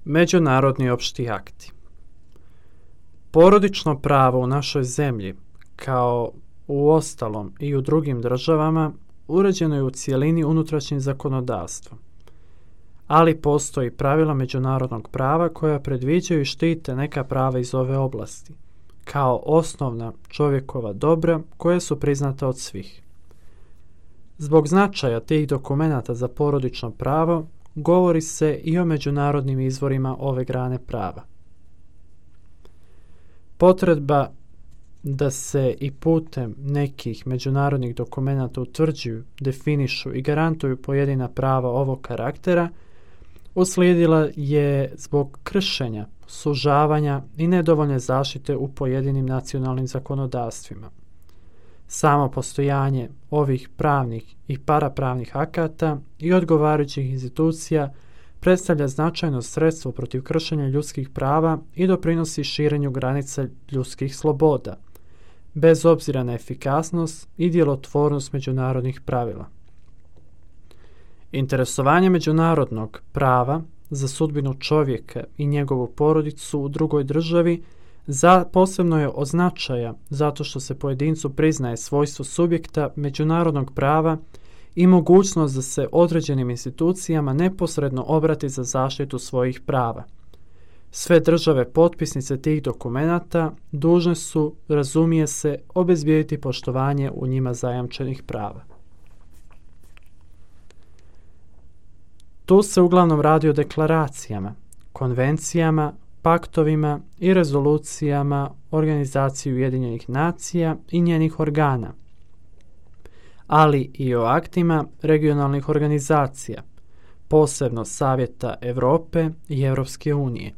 Međunarodni opšti akti. Porodično pravo u našoj zemlji, kao u ostalom i u drugim državama, uređeno je u cijelini unutrašnjim zakonodavstvom. Ali postoji pravila međunarodnog prava koja predviđaju i štite neka prava iz ove oblasti, kao osnovna čovjekova dobra koja su priznata od svih. Zbog značaja tih dokumenata za porodično pravo, govori se i o međunarodnim izvorima ove grane prava. Potreba da se i putem nekih međunarodnih dokumenata utvrđuju, definišu i garantuju pojedina prava ovog karaktera uslijedila je zbog kršenja, sužavanja i nedovoljne zaštite u pojedinim nacionalnim zakonodavstvima. Samo postojanje ovih pravnih i parapravnih akata i odgovarajućih institucija predstavlja značajno sredstvo protiv kršenja ljudskih prava i doprinosi širenju granica ljudskih sloboda, bez obzira na efikasnost i djelotvornost međunarodnih pravila. Interesovanje međunarodnog prava za sudbinu čovjeka i njegovu porodicu u drugoj državi posebno je od značaja zato što se pojedincu priznaje svojstvo subjekta međunarodnog prava i mogućnost da se određenim institucijama neposredno obrati za zaštitu svojih prava. Sve države potpisnice tih dokumenata dužne su, razumije se, obezbijediti poštovanje u njima zajamčenih prava. Tu se uglavnom radi o deklaracijama, konvencijama, paktovima i rezolucijama Organizacije Ujedinjenih nacija i njenih organa, ali i o aktima regionalnih organizacija, posebno Savjeta Europe i Europske unije.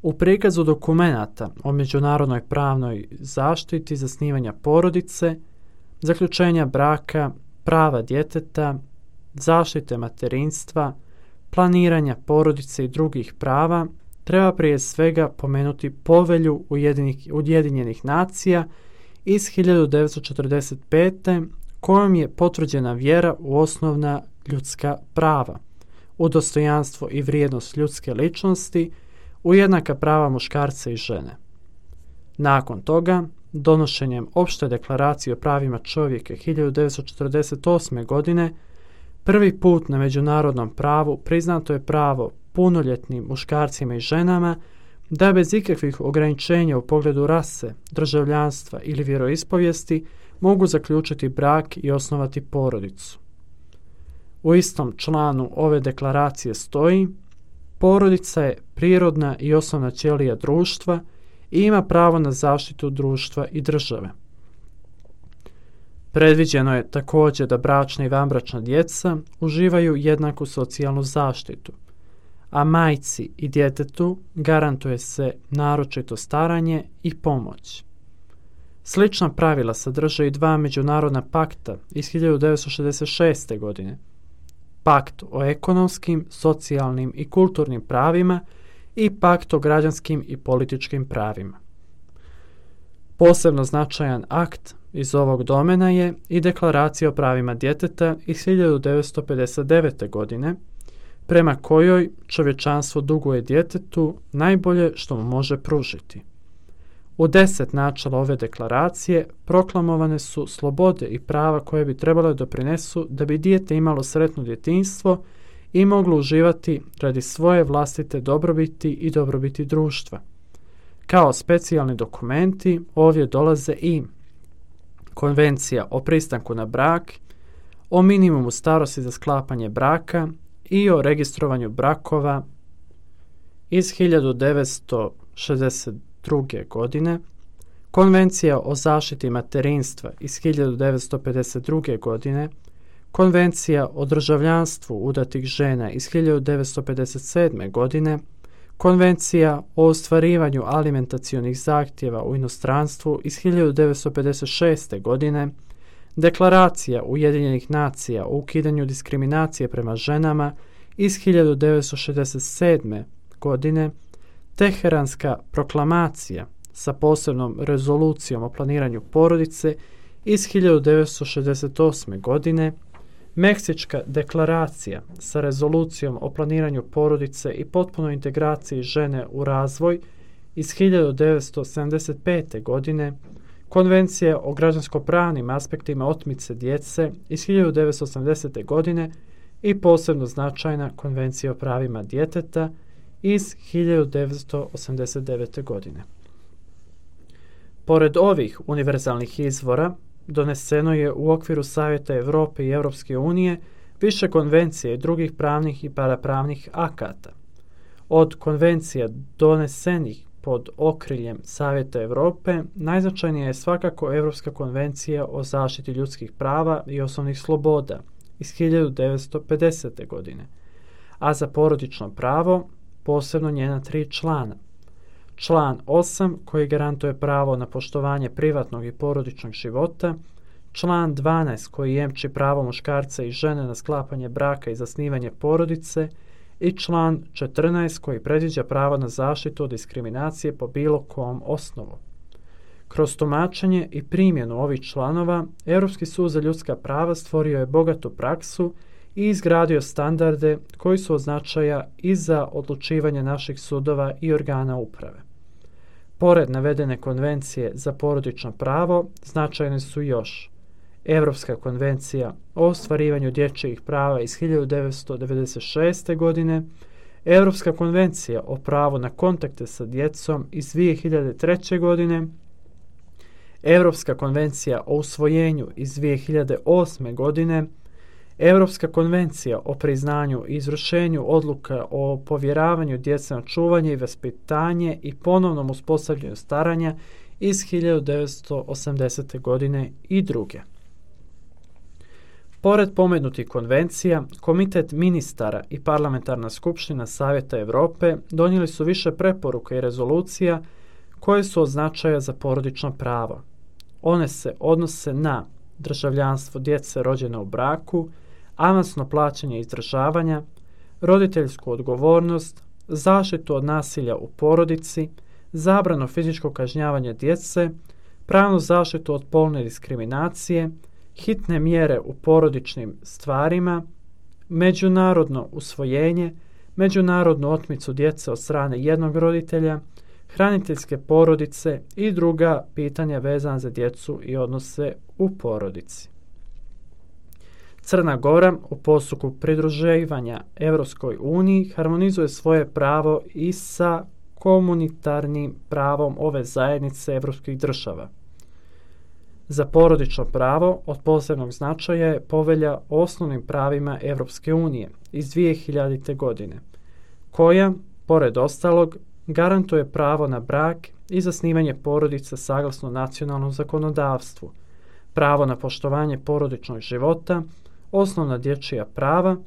U prikazu dokumenata o međunarodnoj pravnoj zaštiti zasnivanja porodice, zaključenja braka, prava djeteta, zaštite materinstva, planiranja porodice i drugih prava, treba prije svega pomenuti Povelju Ujedinjenih nacija iz 1945. kojom je potvrđena vjera u osnovna ljudska prava, u dostojanstvo i vrijednost ljudske ličnosti, u jednaka prava muškarca i žene. Nakon toga, donošenjem Opšte deklaracije o pravima čovjeka 1948. godine, prvi put na međunarodnom pravu priznato je pravo punoljetnim muškarcima i ženama da bez ikakvih ograničenja u pogledu rase, državljanstva ili vjeroispovijesti mogu zaključiti brak i osnovati porodicu. U istom članu ove deklaracije stoji: porodica je prirodna i osnovna ćelija društva i ima pravo na zaštitu društva i države. Predviđeno je također da bračna i vanbračna djeca uživaju jednaku socijalnu zaštitu, a majci i djetetu garantuje se naročito staranje i pomoć. Slična pravila sadrže i dva međunarodna pakta iz 1966. godine. Pakt o ekonomskim, socijalnim i kulturnim pravima i Pakt o građanskim i političkim pravima. Posebno značajan akt iz ovog domena je i Deklaracija o pravima djeteta iz 1959. godine, prema kojoj čovječanstvo duguje djetetu najbolje što mu može pružiti. U 10 načela ove deklaracije proklamovane su slobode i prava koje bi trebale doprinesu da bi dijete imalo sretno djetinjstvo i moglo uživati radi svoje vlastite dobrobiti i dobrobiti društva. Kao specijalni dokumenti ovdje dolaze i Konvencija o pristanku na brak, o minimumu starosti za sklapanje braka i o registrovanju brakova iz 1962. godine, Konvencija o zaštiti materinstva iz 1952. godine, Konvencija o državljanstvu udatih žena iz 1957. godine, Konvencija o ostvarivanju alimentacionih zahtjeva u inostranstvu iz 1956. godine, Deklaracija Ujedinjenih nacija o ukidanju diskriminacije prema ženama iz 1967. godine, Teheranska proklamacija sa posebnom rezolucijom o planiranju porodice iz 1968. godine, Meksička deklaracija sa rezolucijom o planiranju porodice i potpunoj integraciji žene u razvoj iz 1975. godine, Konvencija o građansko-pravnim aspektima otmice djece iz 1980. godine i posebno značajna Konvencija o pravima djeteta iz 1989. godine. Pored ovih univerzalnih izvora, doneseno je u okviru Savjeta Europe i Europske unije više konvencija i drugih pravnih i parapravnih akata. Od konvencija donesenih pod okriljem Savjeta Europe najznačajnija je svakako Europska konvencija o zaštiti ljudskih prava i osnovnih sloboda iz 1950. godine, a za porodično pravo posebno njena 3 člana. Član 8 koji garantuje pravo na poštovanje privatnog i porodičnog života, član 12 koji jemči pravo muškarca i žene na sklapanje braka i zasnivanje porodice i član 14 koji predviđa pravo na zaštitu od diskriminacije po bilo kom osnovu. Kroz tumačenje i primjenu ovih članova, Europski sud za ljudska prava stvorio je bogatu praksu i izgradio standarde koji su od značaja i za odlučivanje naših sudova i organa uprave. Pored navedene konvencije za porodično pravo, značajne su još Europska konvencija o ostvarivanju dječjih prava iz 1996. godine, Europska konvencija o pravu na kontakte sa djecom iz 2003. godine, Europska konvencija o usvojenju iz 2008. godine, Europska konvencija o priznanju i izvršenju odluka o povjeravanju djece na čuvanje i vaspitanje i ponovnom uspostavljanju staranja iz 1980. godine i druge. Pored pomenutih konvencija, Komitet ministara i Parlamentarna skupština Savjeta Europe donijeli su više preporuka i rezolucija koje su od značaja za porodično pravo. One se odnose na državljanstvo djece rođene u braku, avansno plaćanje izdržavanja, roditeljsku odgovornost, zaštitu od nasilja u porodici, zabranu fizičkog kažnjavanja djece, pravnu zaštitu od polne diskriminacije, hitne mjere u porodičnim stvarima, međunarodno usvojenje, međunarodnu otmicu djece od strane jednog roditelja, hraniteljske porodice i druga pitanja vezana za djecu i odnose u porodici. Crna Gora u postupku pridruživanja Europskoj uniji harmonizuje svoje pravo i sa komunitarnim pravom ove zajednice evropskih država. Za porodično pravo od posebnog značaja je Povelja o osnovnim pravima Evropske unije iz 2000. godine, koja, pored ostalog, garantuje pravo na brak i zasnivanje porodice saglasno nacionalnom zakonodavstvu, pravo na poštovanje porodičnog života, osnovna dječja prava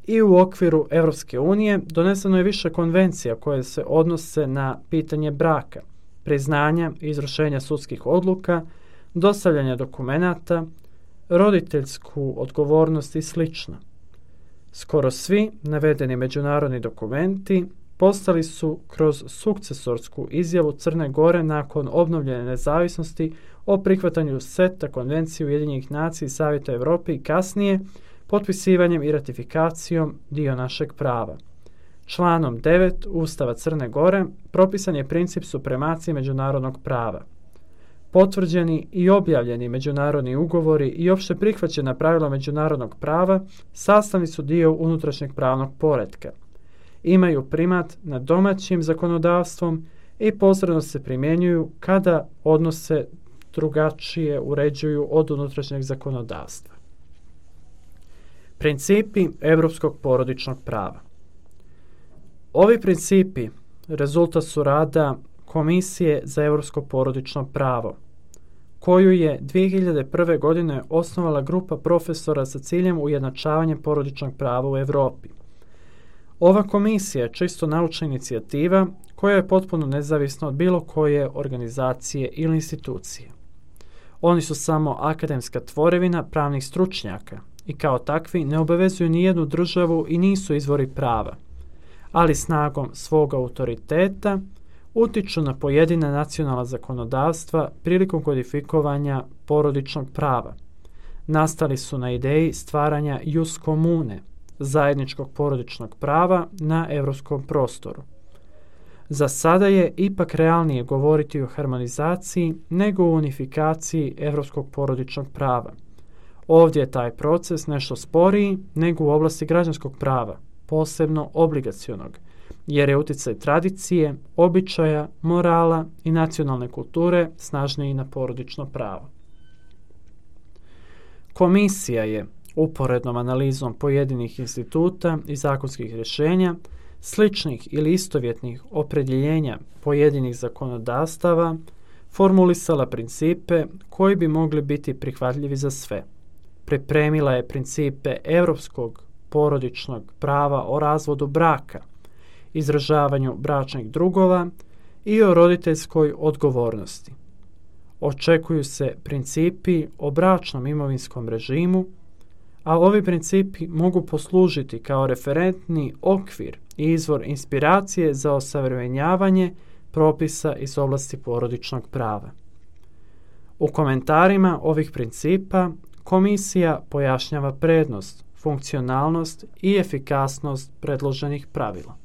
i u okviru Evropske unije doneseno je više konvencija koje se odnose na pitanje braka, priznanja i izvršenja sudskih odluka, dostavljanja dokumenata, roditeljsku odgovornost i sl. Skoro svi navedeni međunarodni dokumenti postali su kroz sukcesorsku izjavu Crne Gore nakon obnovljene nezavisnosti o prihvatanju seta Konvencije Ujedinjenih nacija i Savjeta Europe i kasnije potpisivanjem i ratifikacijom dio našeg prava. Članom 9 Ustava Crne Gore propisan je princip supremacije međunarodnog prava. Potvrđeni i objavljeni međunarodni ugovori i opšte prihvaćena pravila međunarodnog prava sastavni su dio unutrašnjeg pravnog poretka. Imaju primat nad domaćim zakonodavstvom i posredno se primjenjuju kada odnose drugačije uređuju od unutrašnjeg zakonodavstva. Principi evropskog porodičnog prava. Ovi principi rezultat su rada Komisije za evropsko porodično pravo, koju je 2001. godine osnovala grupa profesora sa ciljem ujednačavanja porodičnog prava u Evropi. Ova komisija je čisto naučna inicijativa koja je potpuno nezavisna od bilo koje organizacije ili institucije. Oni su samo akademska tvorevina pravnih stručnjaka i kao takvi ne obavezuju ni jednu državu i nisu izvori prava, ali snagom svog autoriteta utiču na pojedina nacionalna zakonodavstva prilikom kodifikovanja porodičnog prava, nastali su na ideji stvaranja jus comune, zajedničkog porodičnog prava na europskom prostoru. Za sada je ipak realnije govoriti o harmonizaciji nego o unifikaciji europskog porodičnog prava. Ovdje je taj proces nešto sporiji nego u oblasti građanskog prava, posebno obligacionog, jer je utjecaj tradicije, običaja, morala i nacionalne kulture snažniji na porodično pravo. Komisija je, uporednom analizom pojedinih instituta i zakonskih rješenja, sličnih ili istovjetnih opredjeljenja pojedinih zakonodavstava, formulisala principe koji bi mogli biti prihvatljivi za sve. Pripremila je principe europskog porodičnog prava o razvodu braka, izražavanju bračnih drugova i o roditeljskoj odgovornosti. Očekuju se principi o bračnom imovinskom režimu, a ovi principi mogu poslužiti kao referentni okvir i izvor inspiracije za osavremenjavanje propisa iz oblasti porodičnog prava. U komentarima ovih principa komisija pojašnjava prednost, funkcionalnost i efikasnost predloženih pravila.